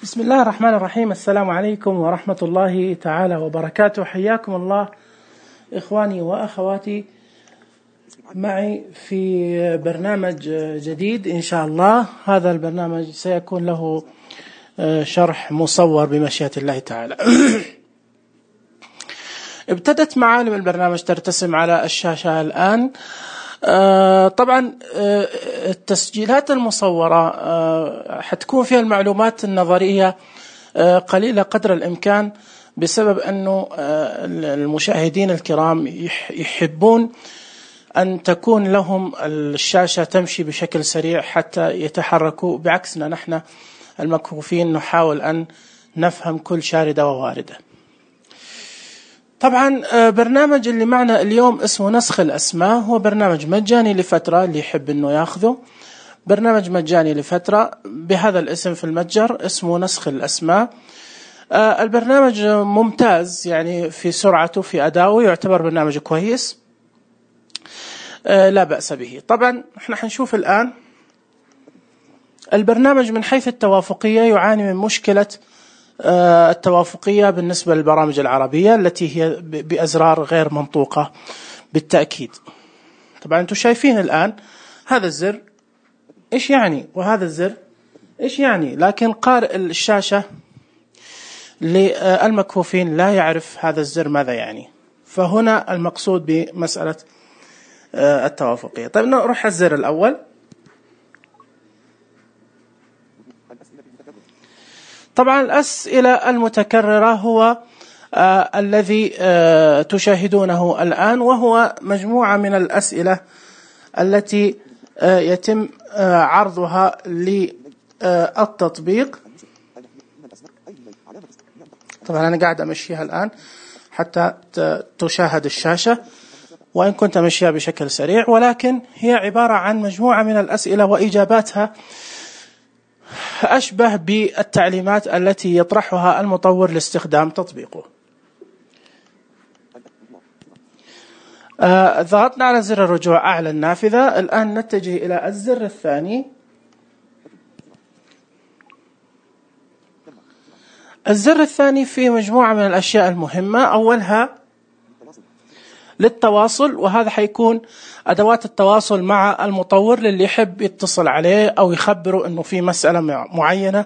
بسم الله الرحمن الرحيم. السلام عليكم ورحمة الله تعالى وبركاته. حياكم الله إخواني وأخواتي معي في برنامج جديد إن شاء الله. هذا البرنامج سيكون له شرح مصور بمشيئة الله تعالى. ابتدت معالم البرنامج ترتسم على الشاشة الآن. طبعا التسجيلات المصورة حتكون فيها المعلومات النظرية قليلة قدر الإمكان، بسبب أنه المشاهدين الكرام يحبون أن تكون لهم الشاشة تمشي بشكل سريع حتى يتحركوا، بعكسنا نحن المكفوفين نحاول أن نفهم كل شاردة وواردة. طبعا برنامج اللي معنا اليوم اسمه نسخ الأسماء، هو برنامج مجاني لفترة، اللي يحب أنه يأخذه برنامج مجاني لفترة بهذا الاسم في المتجر، اسمه نسخ الأسماء. البرنامج ممتاز يعني في سرعته، في أدائه، يعتبر برنامج كويس لا بأس به. طبعا احنا حنشوف الآن البرنامج من حيث التوافقية يعاني من مشكلة التوافقية بالنسبة للبرامج العربية التي هي بأزرار غير منطوقة بالتأكيد. طبعا انتم شايفين الآن هذا الزر إيش يعني وهذا الزر إيش يعني، لكن قارئ الشاشة للمكفوفين لا يعرف هذا الزر ماذا يعني، فهنا المقصود بمسألة التوافقية. طيب نروح الزر الأول. طبعا الأسئلة المتكررة هو الذي تشاهدونه الآن، وهو مجموعة من الأسئلة التي يتم عرضها للتطبيق. طبعا أنا قاعد أمشيها الآن حتى تشاهد الشاشة، وإن كنت أمشيها بشكل سريع، ولكن هي عبارة عن مجموعة من الأسئلة وإجاباتها أشبه بالتعليمات التي يطرحها المطور لاستخدام تطبيقه. ضغطنا على زر الرجوع أعلى النافذة. الآن نتجه إلى الزر الثاني. الزر الثاني فيه مجموعة من الأشياء المهمة، أولها للتواصل، وهذا حيكون أدوات التواصل مع المطور للي يحب يتصل عليه أو يخبره أنه في مسألة معينة،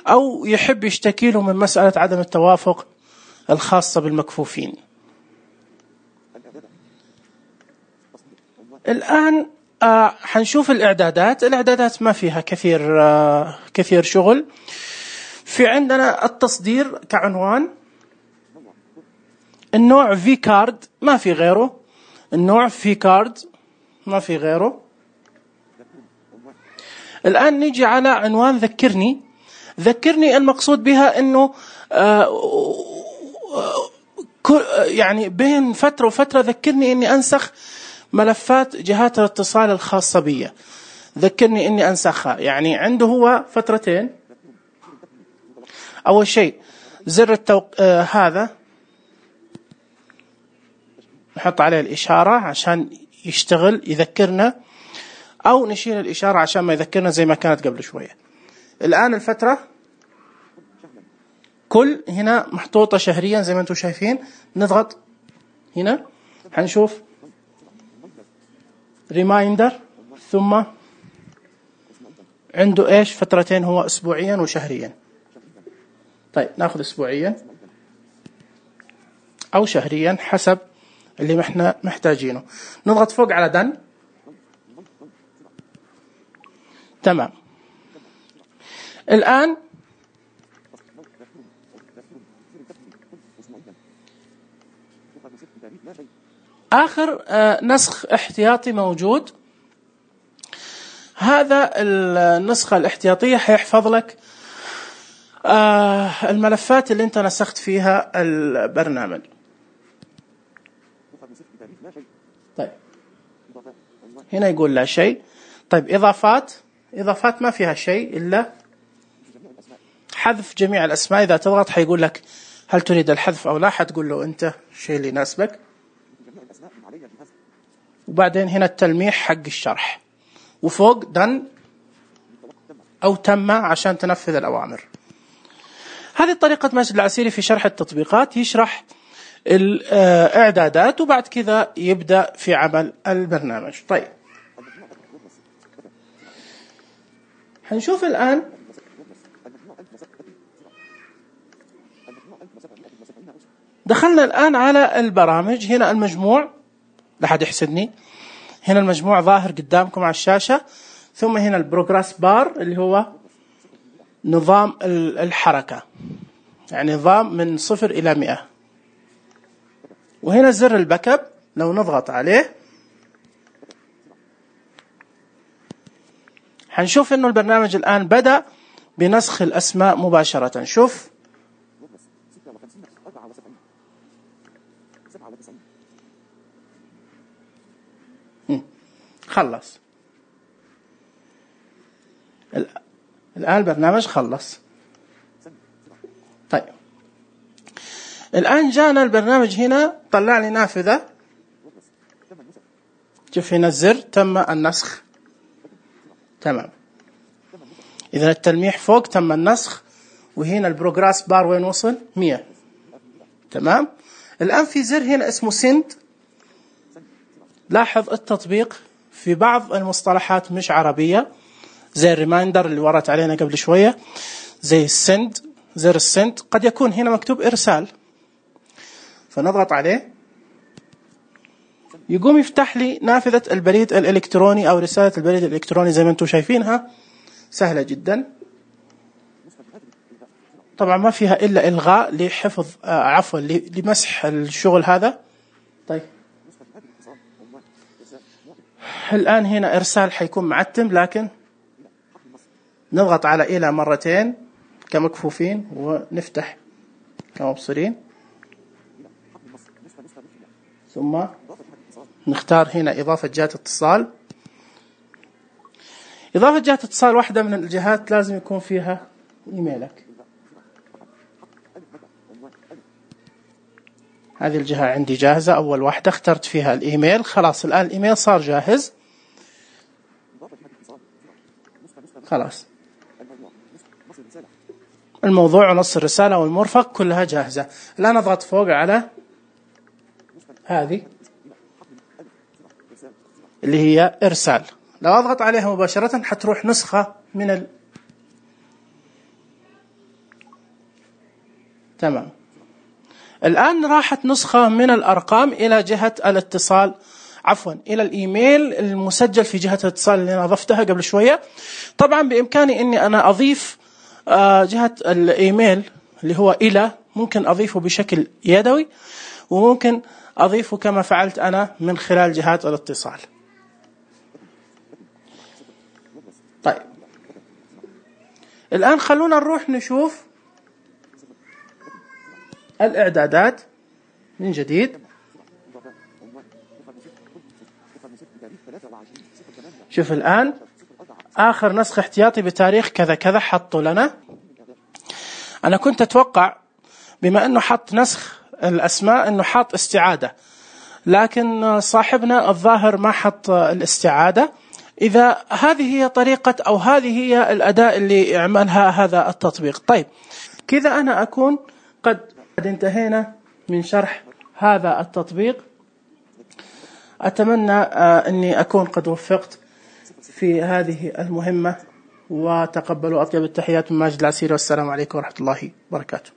أو يحب يشتكي له من مسألة عدم التوافق الخاصة بالمكفوفين. الآن حنشوف الإعدادات ما فيها كثير شغل. في عندنا التصدير كعنوان، النوع في كارد ما في غيره، النوع في كارد ما في غيره. الآن نيجي على عنوان ذكرني. المقصود بها أنه يعني بين فترة وفترة ذكرني أني أنسخ ملفات جهات الاتصال الخاصة بي، ذكرني أني أنسخها. يعني عنده هو فترتين. أول شيء زر هذا نحط عليه الإشارة عشان يشتغل يذكرنا، أو نشيل الإشارة عشان ما يذكرنا زي ما كانت قبل شوية. الآن الفترة كل هنا محطوطة شهريا زي ما أنتم شايفين. نضغط هنا حنشوف ريمايندر، ثم عنده إيش فترتين، هو أسبوعيا وشهريا. طيب ناخذ أسبوعيا أو شهريا حسب اللي احنا محتاجينه. نضغط فوق على دن. تمام. الآن آخر نسخ احتياطي موجود. هذا النسخة الاحتياطية حيحفظ لك الملفات اللي انت نسخت فيها البرنامج. طيب هنا يقول لا شيء. طيب إضافات ما فيها شيء إلا حذف جميع الأسماء. إذا تضغط حيقول لك هل تريد الحذف أو لا، حتقول له أنت شيء اللي يناسبك. وبعدين هنا التلميح حق الشرح، وفوق دن أو تم عشان تنفذ الأوامر. هذه طريقة ماجد العسيري في شرح التطبيقات، يشرح الإعدادات وبعد كذا يبدأ في عمل البرنامج. طيب هنشوف الآن دخلنا الآن على البرامج. هنا المجموع، لا حد يحسدني، هنا المجموع ظاهر قدامكم على الشاشة، ثم هنا البروجرس بار اللي هو نظام الحركة، يعني نظام من 0 إلى 100. وهنا زر الباك اب، لو نضغط عليه هنشوف انه البرنامج الآن بدأ بنسخ الأسماء مباشرة. شوف خلص الآن البرنامج خلص. طيب الآن جانا البرنامج هنا طلع لي نافذة، شوف هنا الزر تم النسخ، تمام. إذا التلميح فوق تم النسخ، وهنا البروجرس بار وين وصل؟ 100، تمام. الآن في زر هنا اسمه سند. لاحظ التطبيق في بعض المصطلحات مش عربية، زي الريمايندر اللي ورت علينا قبل شوية، زي السند، زر السند قد يكون هنا مكتوب إرسال، فنضغط عليه يقوم يفتح لي نافذة البريد الإلكتروني أو رسالة البريد الإلكتروني زي ما أنتم شايفينها، سهلة جدا. طبعا ما فيها إلا إلغاء لحفظ لمسح الشغل هذا. طيب الآن هنا إرسال حيكون معتم، لكن نضغط على إلى مرتين كمكفوفين ونفتح كمبصرين، ثم نختار هنا إضافة جهة اتصال. إضافة جهة اتصال واحدة من الجهات لازم يكون فيها إيميلك. هذه الجهة عندي جاهزة، أول واحدة اخترت فيها الإيميل، خلاص الآن الإيميل صار جاهز، خلاص الموضوع ونص الرسالة والمرفق كلها جاهزة. الآن أضغط فوق على هذه اللي هي إرسال، لو أضغط عليها مباشرة حتروح نسخة من تمام. الآن راحت نسخة من الأرقام إلى جهة الاتصال، عفوا إلى الإيميل المسجل في جهة الاتصال اللي أنا أضفتها قبل شوية. طبعا بإمكاني أني أنا أضيف جهة الإيميل اللي هو إلى، ممكن أضيفه بشكل يدوي، وممكن أضيفه كما فعلت أنا من خلال جهات الاتصال. طيب الآن خلونا نروح نشوف الإعدادات من جديد. شوف الآن آخر نسخ احتياطي بتاريخ كذا كذا حطوا لنا. أنا كنت أتوقع بما أنه حط نسخ الأسماء أنه حط استعادة، لكن صاحبنا الظاهر ما حط الاستعادة. إذا هذه هي طريقة أو هذه هي الأداة اللي يعملها هذا التطبيق. طيب كذا أنا أكون قد انتهينا من شرح هذا التطبيق. أتمنى أني أكون قد وفقت في هذه المهمة، وتقبلوا أطيب التحيات من ماجد العسيري، والسلام عليكم ورحمة الله وبركاته.